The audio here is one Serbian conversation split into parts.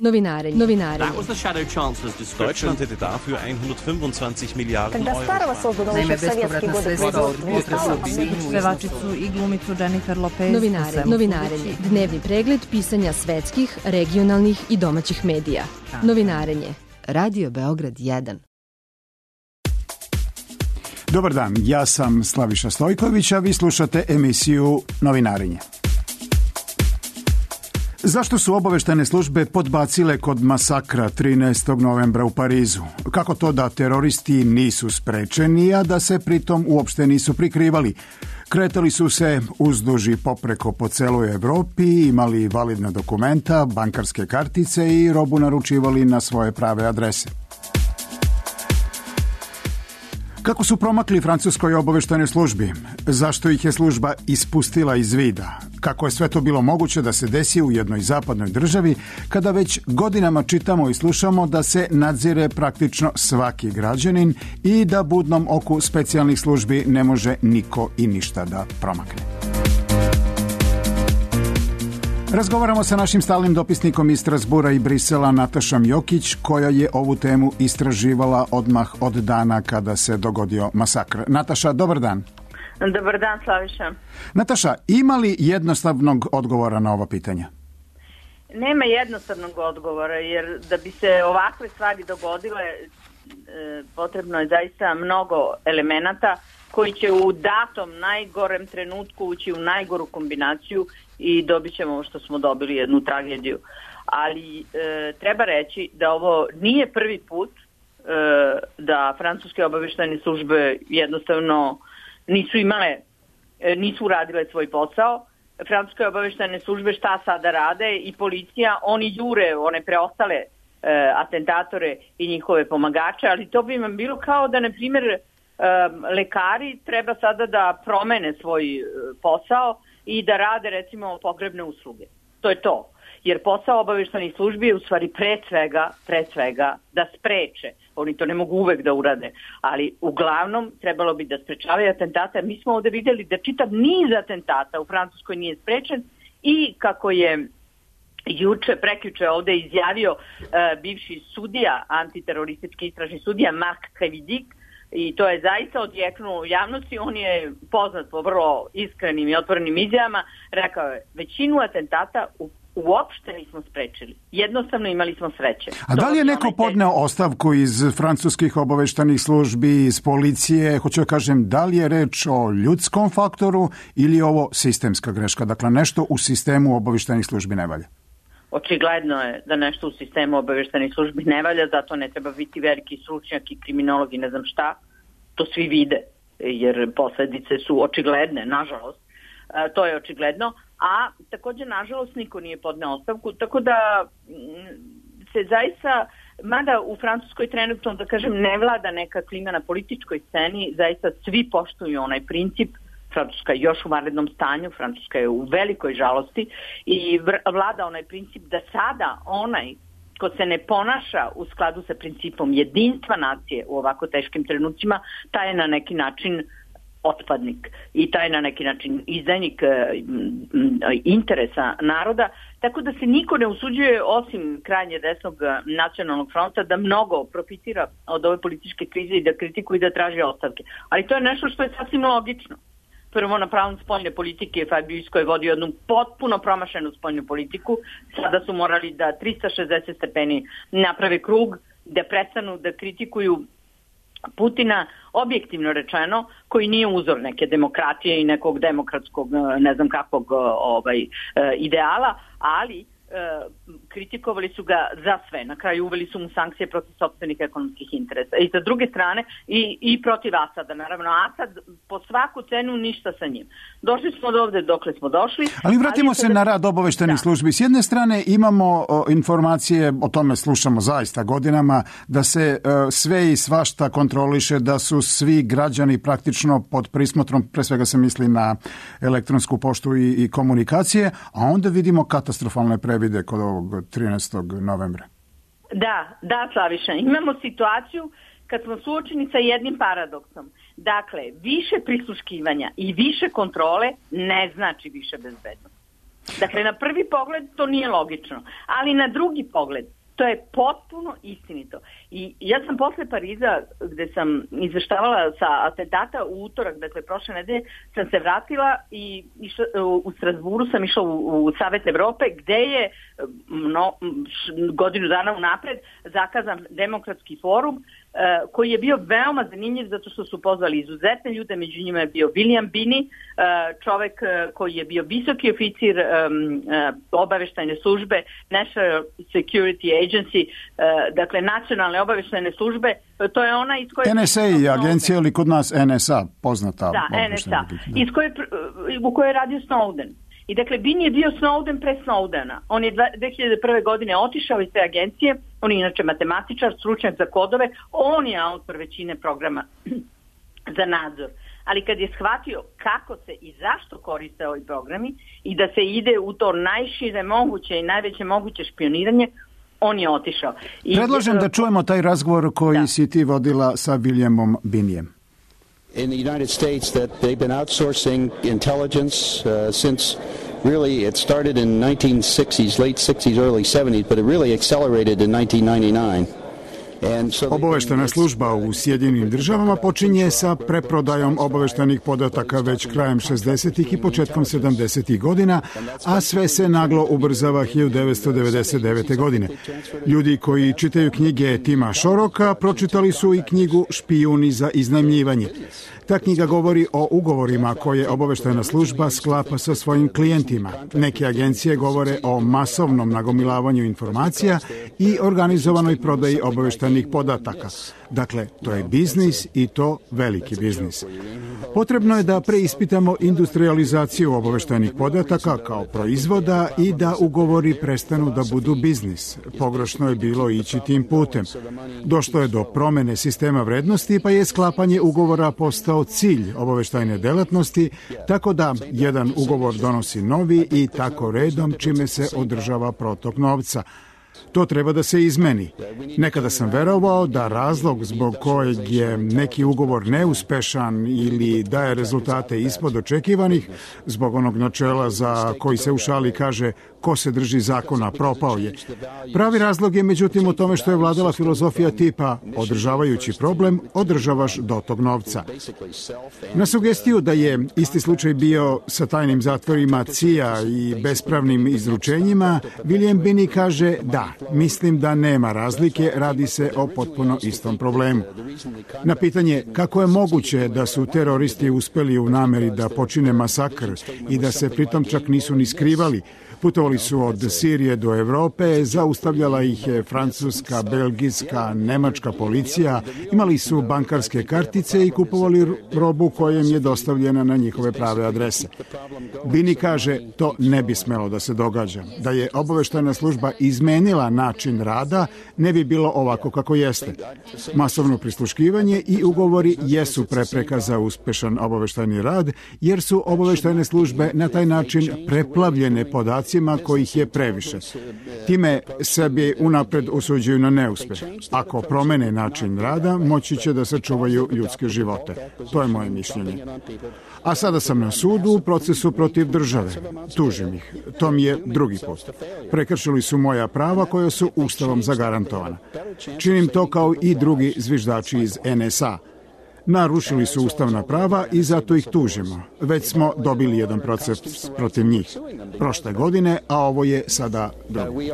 Novinarenje. That was the Shadow Chancellor's description. Deutschland hätte dafür 125 Milijarden Тогда Euro. старого созданного Naime, еще в советские bespovratna годы sredstva od производства не стало. pevačicu i glumicu Jennifer Lopez. Novinarenje. Dnevni pregled pisanja svetskih, regionalnih i domaćih medija. Novinarenje. Radio Beograd 1. Dobar dan, ja sam Slaviša Stojković, a vi slušate emisiju Novinarenje. Zašto su obaveštajne službe podbacile kod masakra 13. novembra u Parizu? Kako to da teroristi nisu sprečeni, a da se pritom uopšte nisu prikrivali? Kretali su se uzduž i popreko po celoj Evropi, imali validna dokumenta, bankarske kartice i robu naručivali na svoje prave adrese. Kako su promakli francuskoj obaveštajnoj službi? Zašto ih je služba ispustila iz vida? Kako je sve to bilo moguće da se desi u jednoj zapadnoj državi kada već godinama čitamo i slušamo da se nadzire praktično svaki građanin i da budnom oku specijalnih službi ne može niko i ništa da promakne? Razgovaramo sa našim stalnim dopisnikom iz Strasbura i Brisela Natašom Jokić, koja je ovu temu istraživala odmah od dana kada se dogodio masakr. Nataša, dobar dan. Dobar dan, Slaviša. Nataša, ima li jednostavnog odgovora na ova pitanja? Nema jednostavnog odgovora, jer da bi se ovakve stvari dogodile, potrebno je zaista mnogo elemenata koji će u datom najgorem trenutku ući u najgoru kombinaciju i dobit ćemo ovo što smo dobili, jednu tragediju. Ali treba reći da ovo nije prvi put da francuske obaveštajne službe jednostavno nisu uradile svoj posao. Francuske obaveštajne službe šta sada rade i policija, oni jure one preostale atentatore i njihove pomagače, ali to bi vam bilo kao da, na primjer, lekari treba sada da promene svoj posao i da rade, recimo, pogrebne usluge. To je to. Jer posao obaveštajnih službi je u stvari pre svega da spreče. Oni to ne mogu uvek da urade, ali uglavnom trebalo bi da sprečavaju atentate. Mi smo ovde videli da čitav niz atentata u Francuskoj nije sprečen i kako je prekjuče ovde izjavio bivši sudija, antiteroristički istražni sudija Marc Crévidic, i to je zaista odjeknulo u javnosti. On je poznat po vrlo iskrenim i otvorenim izjavama. Rekao je, većinu atentata uopšte nismo sprečili. Jednostavno imali smo sreće. A da li je neko podneo ostavku iz francuskih obaveštajnih službi, iz policije? Hoću da kažem, da li je reč o ljudskom faktoru ili je ovo sistemska greška? Dakle, nešto u sistemu obaveštajnih službi ne valja. Očigledno je da nešto u sistemu obaveštajnih službi ne valja, zato ne treba biti veliki stručnjak i kriminolog i ne znam šta. To svi vide, jer posledice su očigledne, nažalost. To je očigledno. A također, nažalost, niko nije podneo ostavku, tako da se zaista, mada u Francuskoj trenutno, da kažem, ne vlada neka klima na političkoj sceni, zaista svi poštuju onaj princip. Francuska je još u vanrednom stanju, Francuska je u velikoj žalosti i vlada onaj princip da sada onaj ko se ne ponaša u skladu sa principom jedinstva nacije u ovako teškim trenucima, taj je na neki način otpadnik i taj je na neki način izdajnik interesa naroda, tako da se niko ne usuđuje osim krajnje desnog nacionalnog fronta da mnogo profitira od ove političke krize i da kritikuje i da traži ostavke. Ali to je nešto što je sasvim logično. Prvo, na pravom spoljne politike Fabius koji je vodio jednu potpuno promašenu spoljnu politiku. Sada su morali da 360 stepeni naprave krug, da prestanu da kritikuju Putina, objektivno rečeno, koji nije uzor neke demokratije i nekog demokratskog, ne znam kakvog ideala, ali kritikovali su ga za sve. Na kraju uveli su mu sankcije protiv sopstvenih ekonomskih interesa. I sa druge strane i protiv Asada. Naravno, Asad po svaku cenu ništa sa njim. Došli smo do ovde dokle smo došli. Ali vratimo se na rad obaveštajnih službi. S jedne strane imamo informacije, o tome slušamo zaista godinama, da se sve i svašta kontroliše, da su svi građani praktično pod prismotrom, pre svega se misli na elektronsku poštu i komunikacije, a onda vidimo katastrofalne previde kod ovog 13. novembra. Da, Slaviša. Imamo situaciju kad smo suočeni sa jednim paradoksom. Dakle, više prisluškivanja i više kontrole ne znači više bezbednost. Dakle, na prvi pogled to nije logično, ali na drugi pogled to je potpuno istinito. I ja sam posle Pariza, gde sam izveštavala sa atentata u utorak, dakle prošle nedelje, sam se vratila i u Strasburu sam išla u Savet Evrope, gde je godinu dana unapred zakazan demokratski forum, koji je bio veoma zanimljiv zato što su pozvali izuzetne ljude, među njima je bio William Binney, čovek koji je bio visoki oficir obaveštajne službe National Security Agency, dakle nacionalne obaveštajne službe, to je ona iz koje... NSA je agencija ili kod nas NSA, poznata. Da, NSA, u kojoj je radio Snowden. I dakle, Bin je bio Snowden pre Snowdena. On je 2001. godine otišao iz te agencije, on je inače matematičar, stručnjak za kodove, on je autor većine programa za nadzor. Ali kad je shvatio kako se i zašto koriste ovi programi i da se ide u to najšire moguće i najveće moguće špioniranje, on je otišao. Predlažem da čujemo taj razgovor koji si ti vodila sa Williamom Binijem. In the United States that they've been outsourcing intelligence since really it started in 1960s, late 60s, early 70s, but it really accelerated in 1999. Obaveštena služba u Sjedinjenim državama počinje sa preprodajom obaveštenih podataka već krajem 60. i početkom 70. godina, a sve se naglo ubrzava 1999. godine. Ljudi koji čitaju knjige Tima Shoroka pročitali su i knjigu Špijuni za iznajmljivanje. Ta knjiga govori o ugovorima koje obaveštena služba sklapa sa svojim klijentima. Neke agencije govore o masovnom nagomilavanju informacija i organizovanoj prodaji obaveštenih podataka. Dakle, to je biznis i to veliki biznis. Potrebno je da preispitamo industrializaciju obaveštenih podataka kao proizvoda i da ugovori prestanu da budu biznis. Pogrešno je bilo ići tim putem. Došlo je do promene sistema vrednosti, pa je sklapanje ugovora postao cilj obaveštajne delatnosti, tako da jedan ugovor donosi novi i tako redom, čime se održava protok novca. To treba da se izmeni. Nekada sam verovao da razlog zbog kojeg je neki ugovor neuspešan ili daje rezultate ispod očekivanih, zbog onog načela za koji se u šali kaže ko se drži zakona propao je. Pravi razlog je međutim u tome što je vladala filozofija tipa održavajući problem, održavaš dotok novca. Na sugestiju da je isti slučaj bio sa tajnim zatvorima CIA i bespravnim izručenjima, William Binney kaže da, mislim da nema razlike, radi se o potpuno istom problemu. Na pitanje kako je moguće da su teroristi uspeli u nameri da počine masakr i da se pritom čak nisu ni skrivali, putovali su od Sirije do Evrope, zaustavljala ih je francuska, belgijska, nemačka policija, imali su bankarske kartice i kupovali robu koja im je dostavljena na njihove prave adrese. Binney kaže, to ne bi smelo da se događa. Da je obaveštajna služba izmenila način rada, ne bi bilo ovako kako jeste. Masovno prisluškivanje i ugovori jesu prepreka za uspešan obaveštajni rad, jer su obaveštajne službe na taj način preplavljene podacima kojih je previše. Time sebi unapred usuđuju na neuspeh. Ako promene način rada, moći će da sačuvaju ljudske živote. To je moje mišljenje. A sada sam na sudu u procesu protiv države. Tužim ih. To mi je drugi put. Prekršili su moja prava koja su Ustavom zagarantovana. Činim to kao i drugi zviždači iz NSA. Narušili su ustavna prava i zato ih tužimo. Već smo dobili jedan proces protiv njih. Prošle godine, a ovo je sada drugi.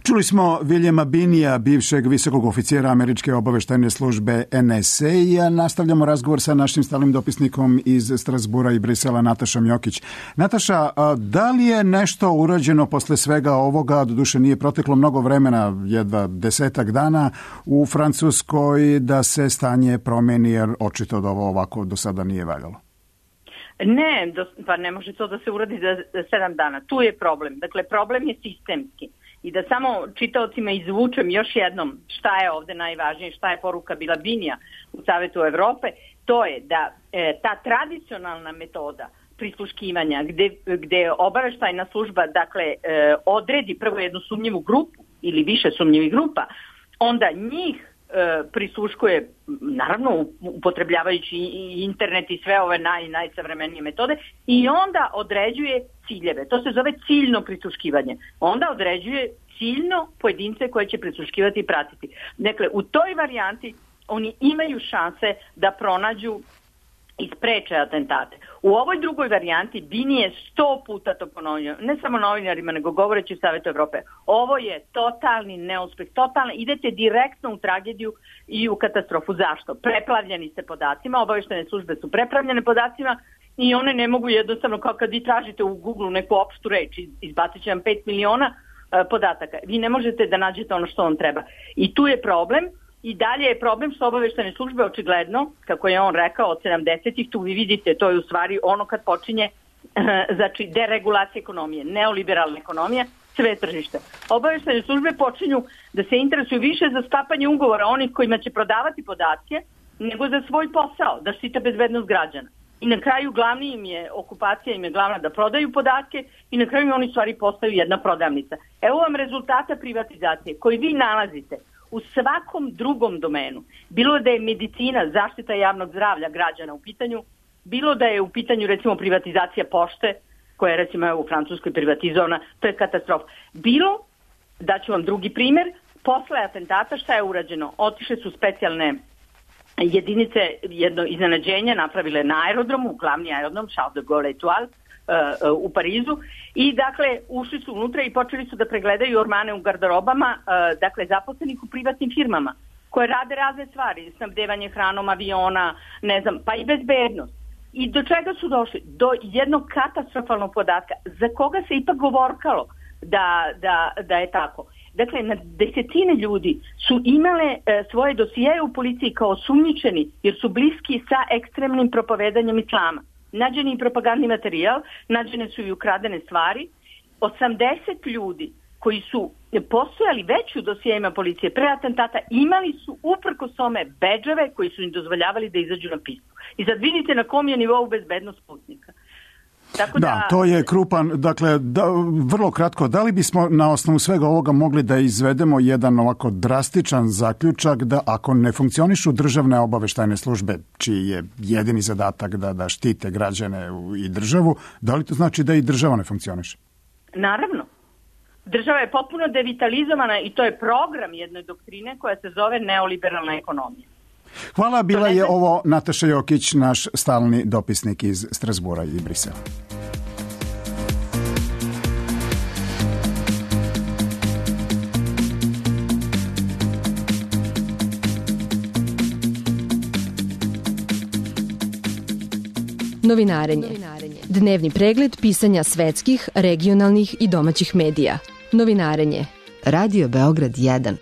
Čuli smo Williama Binija, bivšeg visokog oficira američke obaveštajne službe NSA, i nastavljamo razgovor sa našim stalnim dopisnikom iz Strasbura i Brisela, Natašom Jokić. Nataša, da li je nešto urađeno posle svega ovoga, doduše nije proteklo mnogo vremena, jedva 10 dana, u Francuskoj da se stanje promeni, jer očito da ovo ovako do sada nije valjalo? Ne, pa ne može to da se uradi za 7 dana. Tu je problem. Dakle, problem je sistemski. I da samo čitaocima izvučem još jednom šta je ovde najvažnije, šta je poruka bila Binija u Savetu Evrope, to je da ta tradicionalna metoda prisluškivanja gde obaveštajna služba odredi prvo jednu sumnjivu grupu ili više sumnjivih grupa, onda njih prisluškuje, naravno upotrebljavajući i internet i sve ove najsavremenije metode, i onda određuje ciljeve. To se zove ciljno prisluškivanje. Onda određuje ciljno pojedince koje će prisluškivati i pratiti. Dakle, u toj varijanti oni imaju šanse da pronađu i spreče atentate. U ovoj drugoj varijanti Bini je 100 puta to ponovio, ne samo novinarima, nego govoreći u Savetu Evrope. Ovo je totalni neuspeh, idete direktno u tragediju i u katastrofu. Zašto? Preplavljeni ste podacima, obaveštene službe su preplavljene podacima i one ne mogu jednostavno, kao kad vi tražite u Google neku opštu reč, izbacit će vam 5 miliona podataka. Vi ne možete da nađete ono što vam treba. I tu je problem. I dalje je problem što obaveštene službe očigledno, kako je on rekao, od 70-ih, tu vi vidite, to je u stvari ono kad počinje znači deregulacija ekonomije, neoliberalna ekonomija, sve tržište. Obaveštene službe počinju da se interesuju više za sklapanje ugovora onih kojima će prodavati podatke, nego za svoj posao, da štite bezbednost građana. I na kraju okupacija im je glavna da prodaju podatke i na kraju oni stvari postaju jedna prodavnica. Evo vam rezultata privatizacije koji vi nalazite u svakom drugom domenu. Bilo da je medicina, zaštita javnog zdravlja građana u pitanju, bilo da je u pitanju recimo privatizacija pošte, koja je recimo u Francuskoj privatizovana, to je katastrofa. Bilo, daću vam drugi primjer, posle atentata šta je urađeno? Otišle su specijalne jedinice, jedno iznenađenje napravile na aerodromu, glavni aerodrom Charles de Gaulle Etoile u Parizu, i dakle ušli su unutra i počeli su da pregledaju ormane u garderobama, dakle zaposlenih u privatnim firmama koje rade razne stvari, snabdevanje hranom, aviona, ne znam, pa i bezbednost. I do čega su došli? Do jednog katastrofalnog podatka za koga se ipak govorkalo da je tako. Dakle, na desetine ljudi su imale svoje dosijeje u policiji kao osumnjičeni jer su bliski sa ekstremnim propovedanjem islama. Nađen je i propagandni materijal, nađene su i ukradene stvari. 80 ljudi koji su postojali već u dosijejima policije pre atentata imali su uprkos tome bedževe koji su im dozvoljavali da izađu na pistu. I sad vidite na kom je nivou bezbednost putnika. Tako da, to je krupan, dakle, vrlo kratko, da li bismo na osnovu svega ovoga mogli da izvedemo jedan ovako drastičan zaključak da ako ne funkcionišu državne obaveštajne službe, čiji je jedini zadatak da štite građane i državu, da li to znači da i država ne funkcioniše? Naravno. Država je potpuno devitalizovana i to je program jedne doktrine koja se zove neoliberalna ekonomija. Hvala, bila je ovo Nataša Jokić, naš stalni dopisnik iz Strasbura i Brisela. Novinarenje. Dnevni pregled pisanja svetskih, regionalnih i domaćih medija. Novinarenje. Radio Beograd 1.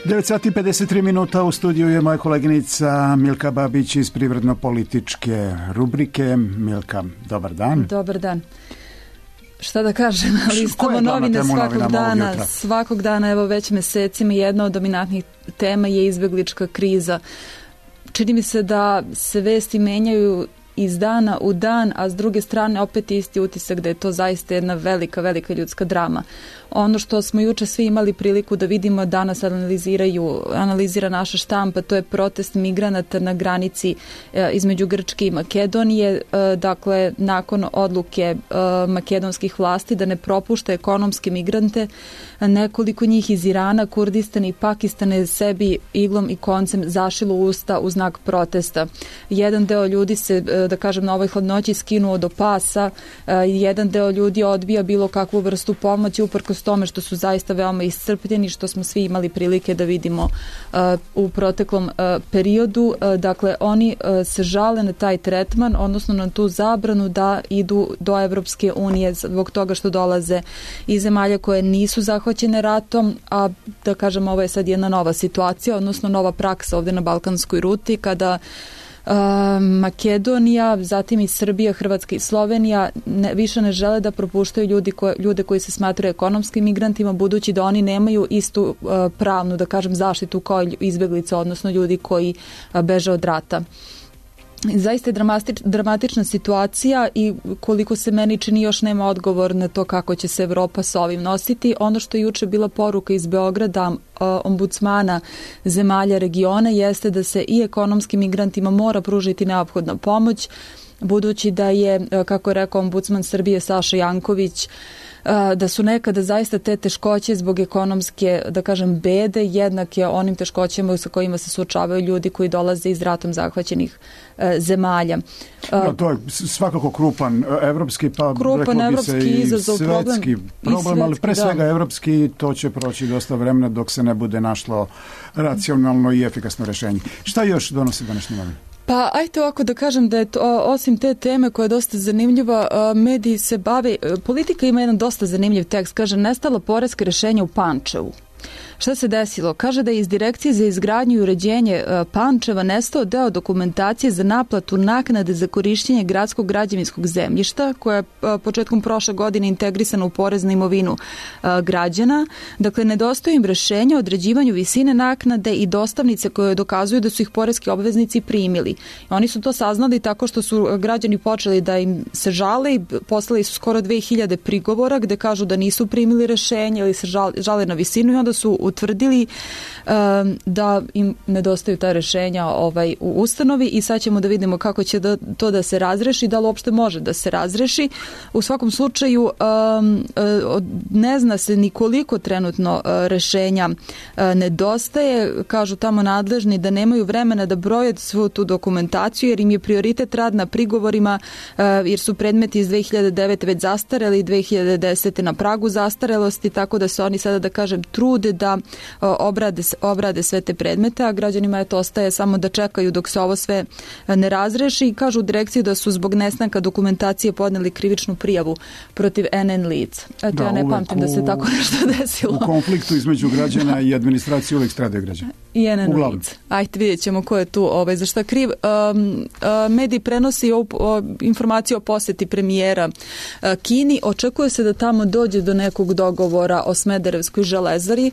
9:53 u studiju je moja koleginica Milka Babić iz privredno-političke rubrike. Milka, dobar dan. Dobar dan. Šta da kažem, listamo novine svakog dana, evo već mesecima. Jedna od dominantnih tema je izbeglička kriza. Čini mi se da se vesti menjaju iz dana u dan, a s druge strane opet isti utisak da je to zaista jedna velika, velika ljudska drama. Ono što smo juče svi imali priliku da vidimo, danas analizira naša štampa, to je protest migranata na granici između Grčke i Makedonije. Dakle, nakon odluke makedonskih vlasti da ne propušta ekonomske migrante, nekoliko njih iz Irana, Kurdistana i Pakistana je sebi iglom i koncem zašilo usta u znak protesta. Jedan deo ljudi se, da kažem, na ovoj hladnoći skinuo do pasa, jedan deo ljudi odbija bilo kakvu vrstu pomoći uprkos tome što su zaista veoma iscrpljeni, što smo svi imali prilike da vidimo u proteklom periodu. Dakle, oni se žale na taj tretman, odnosno na tu zabranu da idu do Evropske unije zbog toga što dolaze iz zemalja koje nisu zahvaćene ratom, a da kažem, ovo je sad jedna nova situacija, odnosno nova praksa ovdje na balkanskoj ruti, kada Makedonija, zatim i Srbija, Hrvatska i Slovenija više ne žele da propuštaju ljude koji se smatraju ekonomskim migrantima, budući da oni nemaju istu pravnu, da kažem, zaštitu kao izbeglice, odnosno ljudi koji beže od rata. Zaista je dramatična situacija i koliko se meni čini još nema odgovor na to kako će se Evropa s ovim nositi. Ono što je juče bila poruka iz Beograda ombudsmana zemalja regiona jeste da se i ekonomskim migrantima mora pružiti neophodna pomoć, budući da je, kako je rekao ombudsman Srbije Saša Janković, da su nekada zaista te teškoće zbog ekonomske, da kažem, bede jednake onim teškoćama sa kojima se suočavaju ljudi koji dolaze iz ratom zahvaćenih zemalja. To je svakako krupan evropski, pa reklo bi se i svetski problem, ali pre svega evropski, to će proći dosta vremena dok se ne bude našlo racionalno i efikasno rešenje. Šta još donosi današnji novin? Pa ajte ovako da kažem da je to, osim te teme koja je dosta zanimljiva, mediji se bave, politika ima jedan dosta zanimljiv tekst, kaže nestala poreska rešenja u Pančevu. Šta se desilo? Kaže da je iz Direkcije za izgradnju i uređenje Pančeva nestao deo dokumentacije za naplatu naknade za korišćenje gradskog građevinskog zemljišta, koja je početkom prošle godine integrisana u porez na imovinu građana. Dakle, nedostaju im rešenja o određivanju visine naknade i dostavnice koje dokazuju da su ih poreski obveznici primili. Oni su to saznali tako što su građani počeli da im se žale i poslali su skoro 2000 prigovora gde kažu da nisu primili rešenje ili se žale na visinu i onda su utvrdili da im nedostaju ta rešenja u ustanovi i sad ćemo da vidimo kako će to da se razreši, da li uopšte može da se razreši. U svakom slučaju ne zna se ni koliko trenutno rešenja nedostaje. Kažu tamo nadležni da nemaju vremena da broje svu tu dokumentaciju jer im je prioritet rad na prigovorima jer su predmeti iz 2009. već zastareli i 2010. na pragu zastarelosti, tako da se oni sada, da kažem, trude da obrade sve te predmete, a građanima je to ostaje samo da čekaju dok se ovo sve ne razreši i kažu u direkciji da su zbog nestanka dokumentacije podneli krivičnu prijavu protiv NN lica. Eto, ja ne pamtim da se tako nešto desilo. U konfliktu između građana i administracije uvijek stradaju građani. I NN lica. Ajde, vidjet ćemo ko je tu za šta kriv. Mediji prenosi informaciju o poseti premijera Kini. Očekuje se da tamo dođe do nekog dogovora o Smederevskoj železari.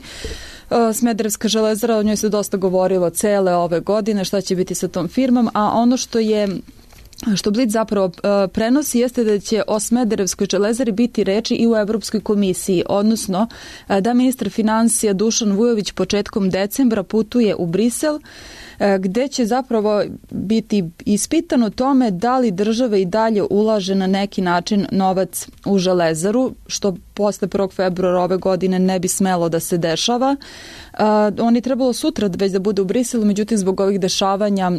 Smederevska železara, o njoj se dosta govorilo cele ove godine, šta će biti sa tom firmom, a ono što Blic zapravo prenosi jeste da će o Smederevskoj železari biti reči i u Evropskoj komisiji, odnosno da ministar finansija Dušan Vujović početkom decembra putuje u Brisel, gde će zapravo biti ispitano tome da li država i dalje ulaže na neki način novac u železaru, što posle 1. februara ove godine ne bi smelo da se dešava. On je trebalo sutra već da bude u Briselu, međutim zbog ovih dešavanja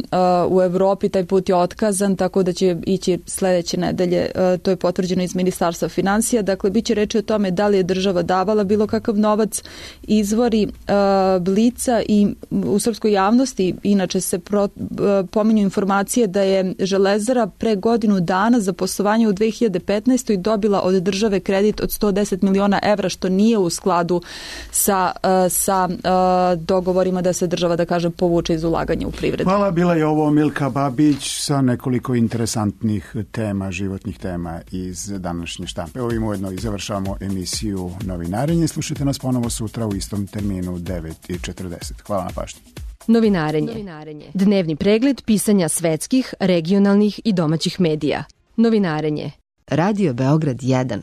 u Evropi taj put je otkazan, tako da će ići sledeće nedelje, to je potvrđeno iz Ministarstva finansija. Dakle, bit će reči o tome da li je država davala bilo kakav novac. Izvori Blica i u srpskoj javnosti inače se pominju informacije da je železara pre godinu dana za poslovanje u 2015. dobila od države kredit od 110 miliona evra, što nije u skladu sa dogovorima da se država, da kažem, povuče iz ulaganja u privredu. Hvala, bila je ovo Milka Babić sa nekoliko interesantnih tema, životnih tema iz današnje štampe. Ovim ujedno i završavamo emisiju Novinarenje. Slušajte nas ponovo sutra u istom terminu 9:40. Hvala na pažnji. Novinarenje. Dnevni pregled pisanja svetskih, regionalnih i domaćih medija. Novinarenje. Radio Beograd 1.